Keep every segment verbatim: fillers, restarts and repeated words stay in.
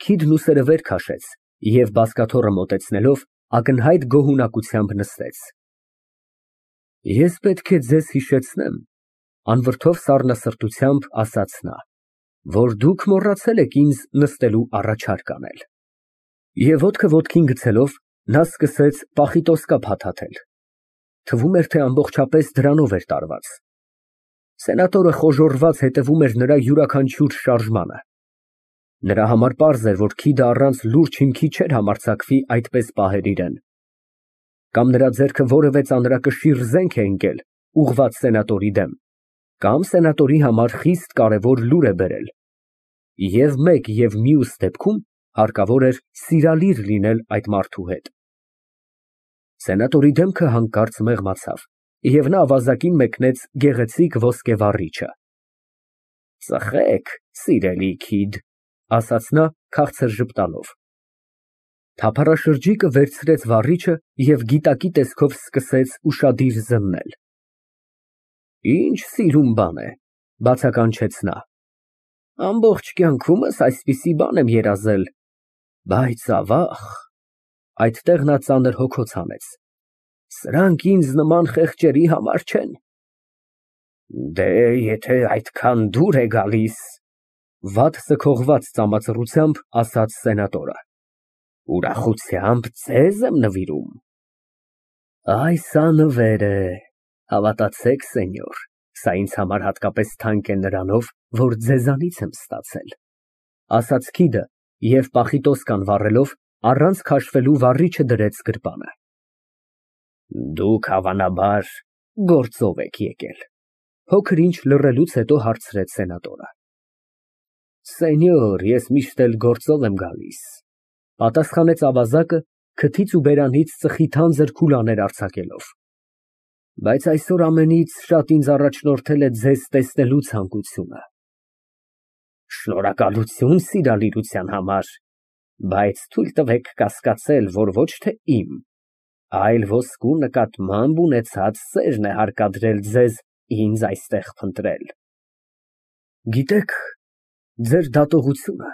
Քիդն ուսերը վեր քաշեց և, բազկաթոռը մոտեցնելով, ակնհայտ գոհունակությամբ նստեց։ Ես պետք է ձեզ հիշեցնեմ, անվրդով սառնասրտությամբ ասաց նա, որ դուք մոռացել եք ինձ նստելու առաջարկ անել։ Եվ ոտքը ոտքին գցելով, նա սկսեց պախիտոսկա փաթաթել։ Թվում էր, թե ամբողջապես դրանով էր տարված։ Սենատորը խոժոռված հետևում էր նրա յուրաքանչյուր շարժմանը։ Նրա համար պարզ էր, որ քիդը առանց լուրջ հիմքի չէր համարձակվի այդպես պահել իրան։ Կամ նրա ձեռքը որևէ ծանրակշիռ զենք է ընկել, ուղղված սենատորի դեմ, կամ սենատորի համար խիստ կարևոր լուր է բերել։ Եվ մեկ և մյուս դեպքում հարկավոր էր սիրալիր լինել այդ մարդու հետ։ Սենատորի դեմքը հանկարծ մեղմացավ, և նա ավազակին մեկնեց գեղեցիկ ոսկե վառիչը։ Ծխեք, սիրելի քիդ, ասաց նա քաղցր ժպտալով։ Թափառաշրջիկը վերցրեց վառիչը և գիտակի տեսքով սկսեց ուշադիր զննել։ Ինչ սիրուն բան է, բացականչեց նա։ Ամբողջ կյանքումս այսպիսի բան եմ երազել, բայց ավաղ, այդտեղ նա ծանր հոգոց հանեց, սրանք ինձ նման խեղճերի համար չեն։ Դե, եթե այդքան դուր է գալիս, վատ սքողված ծամածռությամբ ասաց սենատորը, ուրախությամբ ձեզ եմ նվիրում։ Այս անվեր է, հավատացեք, սենյոր, սա ինձ համար հատկապես թանկ է նրանով, որ ձեզանից եմ ստացել, ասաց քիդը և պախիտոսկան վառելով, առանց քաշվելու վառիչը դրեց գրպանը։ Դուք հավանաբար գործով եք եկել, փոքր ինչ լռելուց հետո հարցրեց սենատորը։ Սենյոր, ես միշտ էլ գործով եմ գալիս, պատասխանեց ավազակը քթից ու բերանից ծխի թանձր քուլաներ արձակելով։ Բայց այսօր ամենից շատ ինձ առաջնորդել է ձեզ տեսնելու ցանկությունը։ Շնորհակալություն սիրալիրության համար, բայց թույլ տվեք կասկածել, որ ոչ թե իմ, այլ ոսկու նկատմամբ ունեցած սերն է հարկադրել ձեզ ինձ այստեղ փնտրել։ Գիտեք, ձեր դատողությունը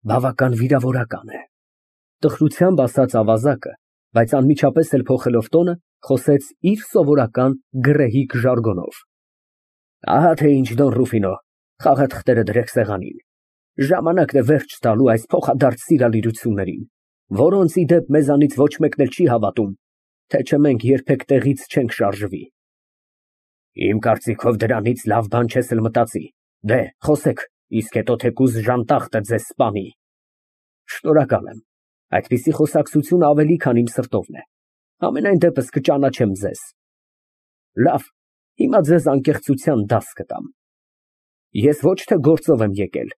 բավական վիրավորական է, տխրությամբ ասաց ավազակը, բայց անմիջապես էլ փոխելով տոնը, խոսեց իր սովորական գռեհիկ ժարգոնով։ Ահա թե ինչ, Դոն Ռուֆինո, խաղաթղթերը դրեք սեղանին, ժամանակն է վերջ տալու այս փոխադարձ սիրալիրություններին, որոնց, ի դեպ, մեզանից ոչ մեկն էլ չի հավատում, թե չէ մենք երբեք տեղից չենք շարժվի։ Իմ կարծիքով դրանից լավ բան չես էլ մտածի, դե, խոսեք, իսկ հետո թեկուզ ժանտախտը ձեզ սպանի։ Շնորհակալ եմ, այդպիսի խոսակցությունը ավելի քան իմ սրտովն է, համենայն դեպս կճանաչեմ ձեզ։ Լավ, հիմա ձեզ անկեղծության դաս կտամ։ Ես ոչ թե գործով եմ եկել,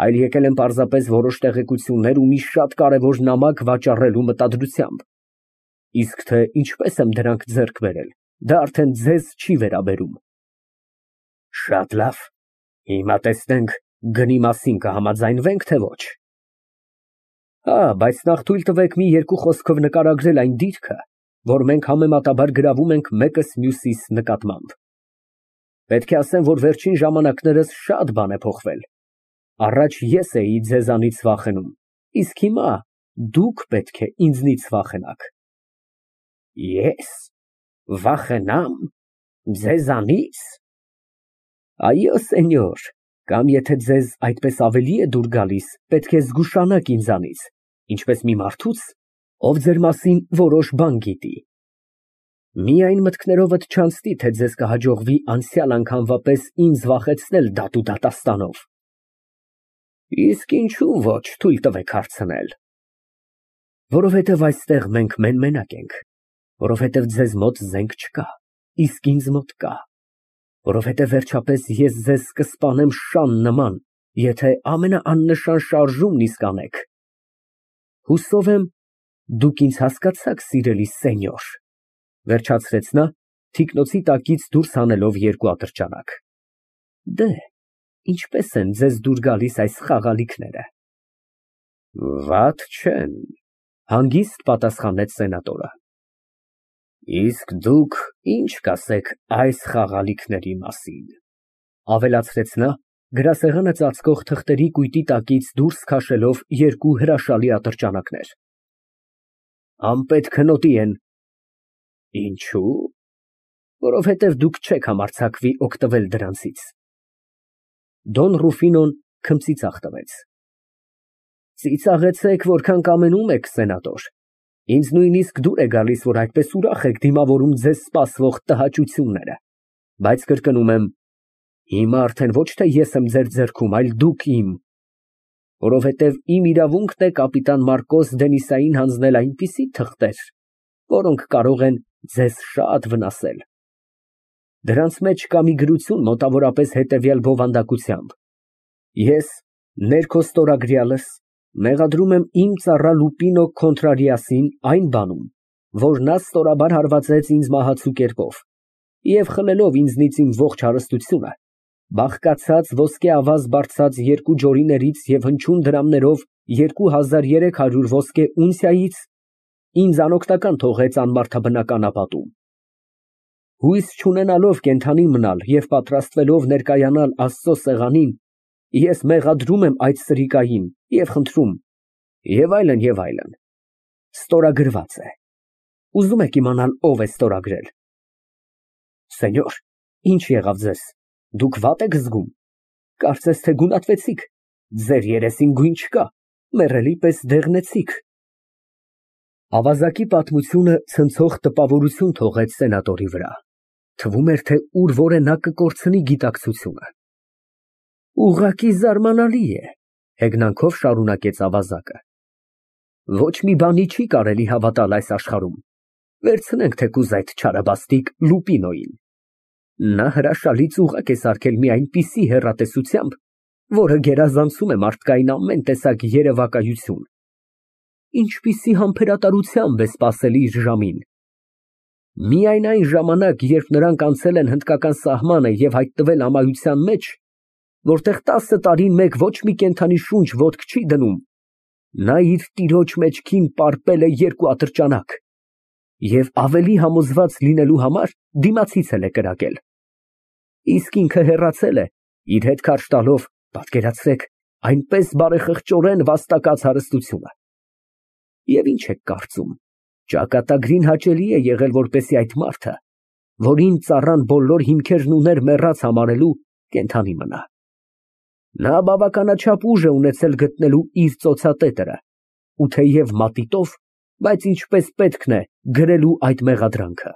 այլ եկել եմ պարզապես որոշ տեղեկություններ ու մի շատ կարևոր նամակ վաճառելու մտադրությամբ, իսկ թե ինչպես եմ դրանք ձեռք բերել, դա արդեն ձեզ չի վերաբերում։ Շատ լավ, հիմա տեսնենք գնի մասին կհամաձայնվենք, թե ոչ։ Հա, բայց նախ թույլ տվեք մի երկու խոսքով նկարագրել այն դիրքը, որ մենք համեմատաբար գրավում ենք մեկս մյուսիս նկատմամբ։ Պետք է ասեմ, որ վերջին ժամանակներս շատ բան է փոխվել։ Առաջ ես էի ձեզանից վախենում, իսկ հիմա դուք պետք է ինձնից վախենաք։ Ես վախենամ ձեզանից։ Այո, սենյոր, կամ եթե ձեզ այդպես ավելի է դուր գալիս, պետք է զգուշանաք ինձանից, ինչպես մի մարդուց, ով ձեր մասին որոշ բան գիտի։ Միայն մտքներովդ չանցնի, թե ձեզ կհաջողվի անցյալ անգամվա պես ինձ վախեցնել դատու դատաստանով։ Իսկ ինչու ոչ, թույլ տվեք հարցնել։ Որովհետև այստեղ մենք մեն֊մենակ ենք, որովհետև ձեզ մոտ զենք չկա, իսկ ինձ մոտ կա, որովհետև վերջապես ես ձեզ կսպանեմ շան նման, եթե ամենաաննշան շարժումն իսկ անեք։ Հուսով եմ, դուք ինձ հասկացաք, սիրելի սենյոր, վերջացրեց նա, թիկնոցի տակից դուրս հանելով երկու ատրճանակ։ Դե, ինչպես են ձեզ դուր գալիս այս խաղալիքները։ Վատ չեն, հանգիստ պատասխանեց սենատորը։ Իսկ դուք ինչ կասեք այս խաղալիքների մասին, ավելացրեց նա, Գրասեղանը ծածկող թղթերի կույտի տակից դուրս քաշելով երկու հրաշալի ատրճանակներ։ Անպետք հնոտի են։ Ինչո՞ւ։ Որովհետև դուք չեք համարձակվի օգտվել դրանցից։ Դոն Ռուֆինոն քմծիծաղ տվեց։ Ծիծաղեցեք, որքան կամենում եք, սենատոր, ինձ նույնիսկ դուր է գալիս, որ այդպես ուրախ եք դիմավորում ձեզ սպասվող տհաճությունները, բայց կրկնում եմ, հիմա արդեն ոչ թե ես եմ ձեր ձեռքում, այլ դուք իմ, որովհետև իմ իրավունքն է կապիտան Մարկոս Դենիսային հանձնել այնպիսի թղթեր, որոնք կարող են ձեզ շատ վնասել։ Դրանց մեջ կա մի գրություն մոտավորապես հետևյալ բովանդակությամբ. Ես, ներքո ստորագրյալս, մեղադրում եմ իմ ծառա Լուպինո Կոնտրարիասին այն բանում, որ նա ստորաբար հարվածեց ինձ մահացու կերպով, և խլելով ինձնից իմ ողջ հարստությունը, բաղկացած ոսկե ավազ բարձած երկու ջորիներից և հնչյուն դրամներով երկու հազար երեք հարյուր ոսկե ունցիայից ինձ անօգնական թողեց անմարդաբնական ապատում։ Հույս չունենալով կենդանի մնալ և պատրաստվելով ներկայանալ Աստծո սեղանին, ես մեղադրում եմ այդ սրիկային և խնդրում, և այլն, և այլն։ Ստորագրված է։ Ուզում եք իմանալ ով է ստորագրել։ Սենյոր, ինչ եղավ ձեզ, դուք վատ եք զգում, կարծես թե գունատվեցիք, ձեր երեսին գույն չկա, մեռելի պես դեղնեցիք։ Ավազակի պատմությունը ցնցող տպավորություն թողեց սենատորի վրա, թվում էր, թե ուր որ է նա կկորցնի գիտակցությունը։ Ուղղակի զարմանալի է, հեգնանքով շարունակեց ավազակը։ Ոչ մի բանի չի կարելի հավատալ այս աշխարհում, վերցնենք թեկուզ այդ չարաբաստիկ Լուպինոյին։ Նա հրաշալի ծուղակ է սարքել մի այնպիսի հեռատեսությամբ, որը գերազանցում է մարդկային ամեն տեսակ երևակայություն։ Ինչպիսի համբերատարությամբ է սպասել իր ժամին։ Միայն այն ժամանակ, երբ նրանք անցել են հնդկական սահմանը և հայտնվել ամայության մեջ, որտեղ տասը տարին մեկ ոչ մի կենդանի շունչ ոտք չի դնում, նա իր տիրոջ մեջքին պարպել է երկու ատրճանակ և ավելի համոզված լինելու համար դիմացից էլ է կրակել։ Իսկ ինքը հեռացել է, իր հետ քարշ տալով, պատկերացրեք, այնպես բարեխղճորեն վաստակած հարստությունը։ Եվ ինչ եք կարծում, ճակատագրին հաճելի է եղել, որպեսզի այդ մարդը, որին ծառան բոլոր հիմքերն ուներ մեռած համարելու, կենդանի մնա։ Նա բավականաչափ ուժ է ունեցել գտնելու իր ծոցատետրը ու թեև մատիտով, բայց ինչպես պետքն է գրելու այդ մեղադրանքը։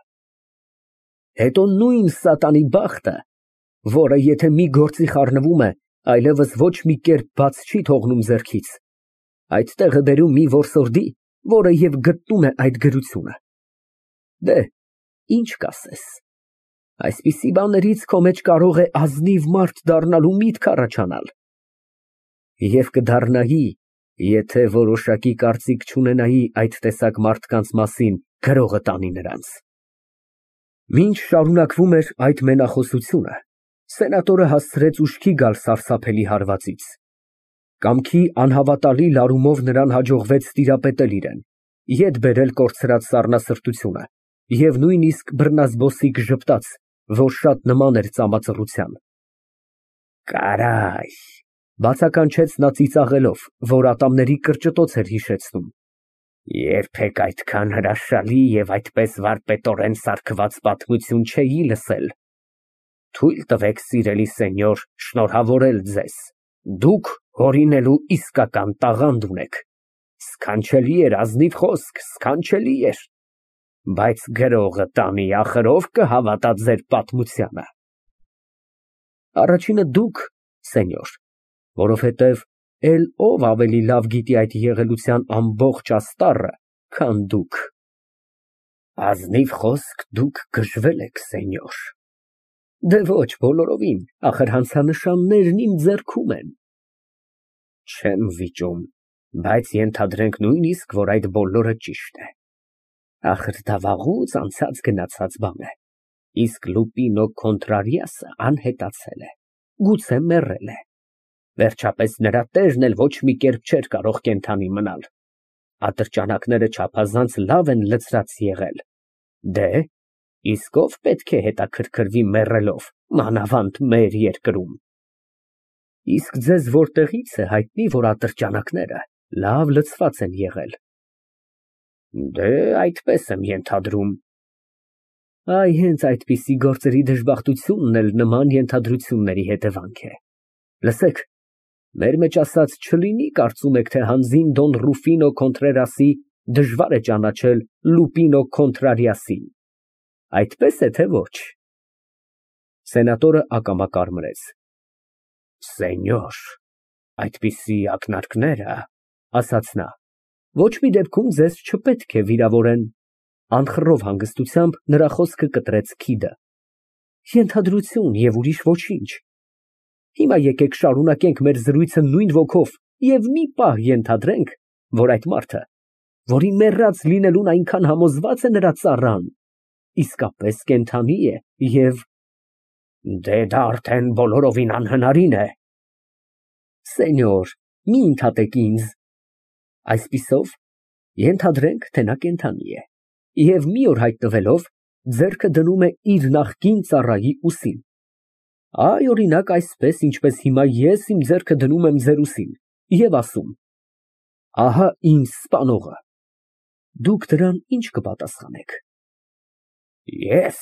Հետո նույն սատանի բախտը, որը եթե մի գործի խառնվում է, այլևս ոչ մի կերպ բաց չի թողնում ձեռքից, այդտեղ է բերում մի որսորդի, որը և գտնում է այդ գրությունը։ Դե, ինչ կասես, այսպիսի բաներից քո մեջ կարող է ազնիվ մարդ դառնալու միտք առաջանալ։ Եվ կդառնայի, եթե որոշակի կարծիք չունենայի այդ տեսակ մարդկանց մասին գրողը տանի նրանց։ Մինչ շարունակվում էր այդ մենախոսությունը, սենատորը հասցրեց ուշքի գալ սարսափելի հարվածից։ Կամքի անհավատալի լարումով նրան հաջողվեց տիրապետել իրան, ետ բերել կորցրած սառնասրտությունը և նույնիսկ բռնազբոսիկ ժպտաց, որ շատ նման էր ծամածռության։ Կարայ, բացականչեց նա ծիծաղելով, որ ատամների կրճտոց էր հիշեցնում։ Երբեք այդքան հրաշալի և այդպես վարպետորեն սարքված պատմություն չէի լսել։ Թույլ տվեք, սիրելի սենյոր, շնորհավորել ձեզ, դուք հորինելու իսկական տաղանդ ունեք։ Սքանչելի էր ազնիվ խոսք, սքանչելի էր, բայց գրողը տանի ախր ով կհավատա ձեր պատմությանը։ Առաջինը դուք, սենյոր, որովհետև էլ ով ավելի լավ գիտի այդ եղելության ամբողջ աստառը, քան դուք։ Ազնիվ խոսք դուք գժվել եք, սենյոր։ Դե ոչ բոլորովին, ախր հանցանշաններն իմ ձեռքում են։ Չեմ վիճում, բայց ենթադրենք նույնիսկ, որ այդ բոլորը ճիշտ է։ Ախր դա վաղուց անցած գնացած բան է, իսկ Լուպինո Կոնտրարիասը անհետացել է, գուցե մեռել է։ Վերջապես նրա տերն էլ ոչ մի կերպ չէր կարող կենդանի մնալ։ Ատրճանակները չափազանց լավ են լցրած եղել։ Դե, իսկ ով պետք է հետաքրքրվի մեռելով, մանավանդ մեր երկրում։ Իսկ ձեզ որտեղից է հայտնի, որ ատրճանակները լավ լցված են եղել։ Դե, այդպես եմ ենթադրում։ Այ հենց այդպիսի գործերի դժբախտությունն էլ նման ենթադրությունների հետևանք է։ Լսեք, մեր մեջ ասած չլինի կարծում եք, թե հանձին Դոն Ռուֆինո Քոնտրերասի դժվար է ճանաչել Լուպինո Քոնտրարիասին։ Այդպես է, թե ոչ։ Սենատորը ակամա կարմրեց։ Սենյոր, այդպիսի ակնարկները, ասաց նա, ոչ մի դեպքում ձեզ չպետք է վիրավորեն։ Անխռով հանգստությամբ նրա խոսքը կտրեց Քիդը։ Ենթադրություն և ուրիշ ոչինչ։ Հիմա եկեք շարունակենք մեր զրույցը նույն ոգով և մի պահ ենթադրենք, որ այդ մարդը, որի մեռած լինելուն այնքան համոզված է նրա ծառան, իսկապես կենդանի է և… Դե դա արդեն բոլորովին անհնարին է։ Սենյոր, մի ընդհատեք ինձ։ Այսպիսով, ենթադրենք, թե նա կենդանի է և մի օր հայտնվելով, ձեռքը դնում է իր նախկին ծառայի ուսին։ Այ, օրինակ, այսպես, ինչպես հիմա ես իմ ձեռքը դնում եմ ձեր ուսին և ասում. ահա ինձ սպանողը։ Դուք դրան ի՞նչ կպատասխանեք։ Ես…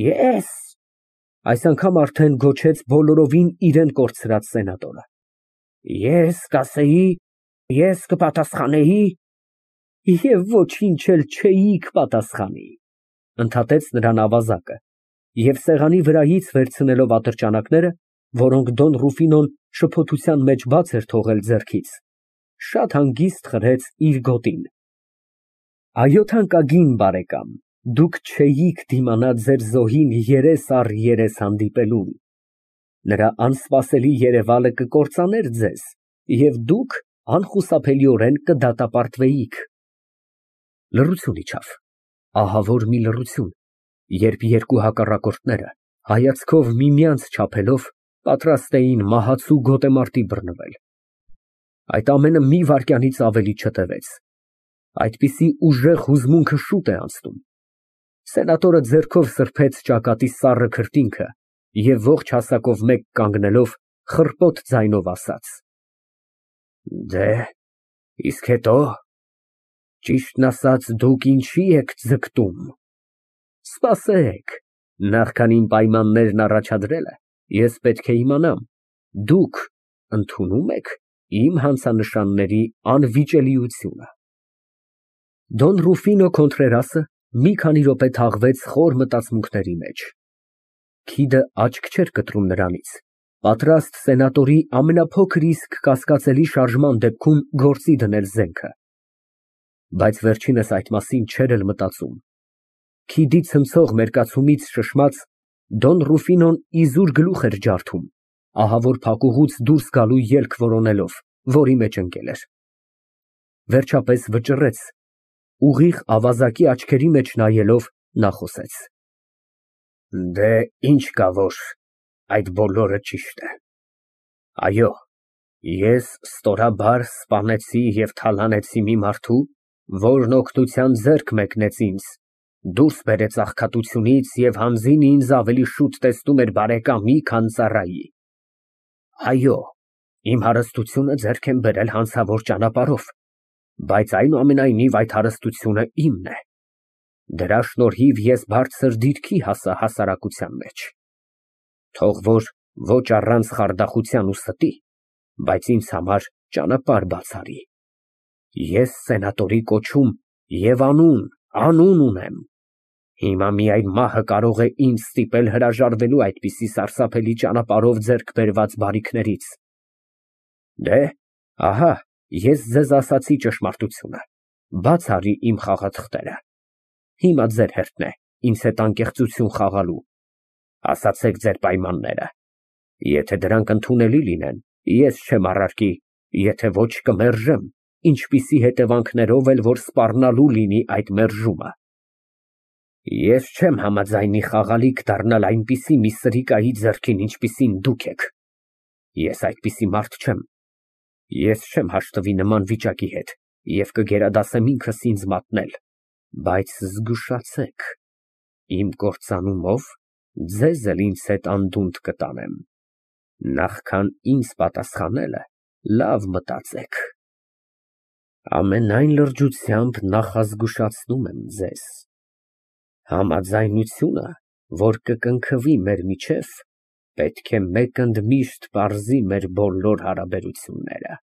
Ե՞ս… Այս անգամ արդեն գոչեց բոլորովին իրան կորցրած սենատորը։ Ես կասեի, ես կպատասխանեի… Եվ ոչինչ էլ չէիք պատասխանի, ընդհատեց նրան ավազակը և սեղանի վրայից վերցնելով ատրճանակները, որոնք Դոն Ռուֆինոն շփոթության մեջ բաց էր թողել ձեռքից, շատ հանգիստ խրեց իր գոտին։ Այո, թանկագին բարեկամ, դուք չէիք դիմանա ձեր զոհին երես առ երես հանդիպելուն։ Նրա անսպասելի երևալը կկործաներ ձեզ, և դուք անխուսափելիորեն կդատապարտվեիք։ Լռություն իջավ, ահավոր մի լռություն, երբ երկու հակառակորդները, հայացքով միմյանց չափելով, պատրաստ էին մահացու գոտեմարտի բռնվել։ Այդ ամենը մի վայրկյանից ավելի չտևեց։ Այդպիսի ուժեղ հուզմունքը շուտ է անցնում։ Սենատորը ձեռքով սրբեց ճակատի սառը քրտինքը և ողջ հասակով մեկ կանգնելով, խռպոտ ձայնով ասաց. Դե, իսկ հետո… Ճիշտն ասած, դուք ինչի եք ձգտում։ Սպասեք, նախքան իմ պայմաններն առաջադրելը, ես պետք է իմանամ, դուք ընդունո՞ւմ եք իմ հանցանշանների անվիճելիությունը։ Դոն Ռուֆինո Քոնտրերասը մի քանի րոպե թաղվեց խոր մտածմունքների մեջ։ Քիդը աչք չէր կտրում նրանից, պատրաստ սենատորի ամենափոքր իսկ կասկածելի շարժման դեպքում գործի դնել զենքը։ Բայց վերջինս այդ մասին չէր էլ մտածում։ Քիդի ցնցող մերկացումից շշմած, Դոն Ռուֆինոն իզուր գլուխ էր ջարդում, ահավոր փակուղուց դուրս գալու ելք որոնելով, որի մեջ ընկել էր։ Վերջապես վճռեց, ուղիղ ավազակի աչքերի մեջ նայելով, նա խոսեց. Դե, ինչ կա, որ այդ բոլորը ճիշտ է։ Այո, ես ստորաբար սպանեցի և թալանեցի մի մարդու, որն օգնության ձեռք մեկնեց ինձ, դուրս բերեց աղքատությունից և հանձին ինձ ավելի շուտ տեսնում էր բարեկամի, քան ծառայի։ Այո, իմ հարստությունը ձեռք եմ բերել հանցավոր ճանապարհով, բայց այնուամենայնիվ այդ հարստությունը իմն է։ Դրա շնորհիվ ես բարձր դիրքի հասա հասարակության մեջ։ Թող որ ոչ առանց խարդախության ու ստի, բայց ինձ համար ճանապարհ բաց արի։ Ես սենատորի կոչում և անուն, անուն ունեմ։ Հիմա միայն մահը կարող է ինձ ստիպել հրաժարվելու այդպիսի սարսափելի ճանապարհով ձեռք բերված բարիքներից։ Դե, ահա ես ձեզ ասացի ճշմարտությունը, բաց արի իմ խաղաթղթերը։ Հիմա ձեր հերթն է ինձ հետ անկեղծություն խաղալու։ Ասացեք ձեր պայմանները։ Եթե դրանք ընդունելի լինեն, ես չեմ առարկի, եթե ոչ կմերժեմ, ինչպիսի հետևանքներով էլ որ սպառնալու լինի այդ մերժումը։ Ես չեմ համաձայնի խաղալիք դառնալ այնպիսի մի սրիկայի ձեռքին, ինչպիսին դուք եք։ Ես այդպիսի մարդ չեմ։ Ես չեմ հաշտվի նման վիճակի հետ և կգերադասեմ ինքս ինձ մատնել, բայց զգուշացեք, իմ կործանումով ձեզ էլ ինձ հետ անդունդ կտանեմ։ Նախքան ինձ պատասխանելը, լավ մտածեք։ Ամենայն լրջությամբ նախազգուշացնում եմ ձեզ. համաձայնությունը, որ կկնքվի մեր միջև, պետք է մեկընդմիշտ պարզի մեր բոլոր հարաբերությունները։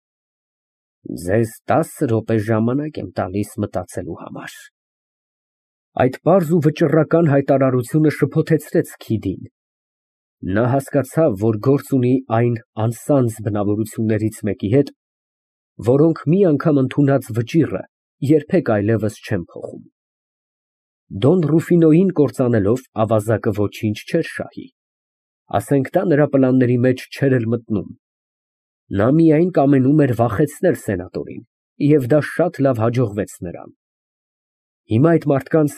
Ձեզ տասը րոպե ժամանակ եմ տալիս մտածելու համար։ Այդ պարզ ու վճռական հայտարարությունը շփոթեցրեց Քիդին։ Նա հասկացավ, որ գործ ունի այն անսանձ բնավորություններից մեկի հետ, որոնք մի անգամ ընդունած վճիռը երբեք այլևս չեն փոխում։ Դոն Ռուֆինոյին կործանելով, ավազակը ոչինչ չէր շահի, ասենք դա նրա պլանների մեջ չէր էլ մտնում։ Նա միայն կամենում էր վախեցնել սենատորին, և դա շատ լավ հաջողվեց նրան։ Հիմա այդ մարդկանց,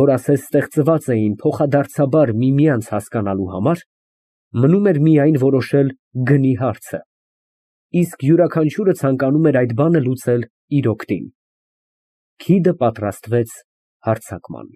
որ ասես ստեղծված էին փոխադարձաբար միմյանց հասկանալու համար, մնում էր միայն որոշել գնի հարցը, իսկ յուրաքանչյուրը ցանկանում էր այդ բանը լուծել իր օգտին։ Քիդը պատրաստվեց հարձակման։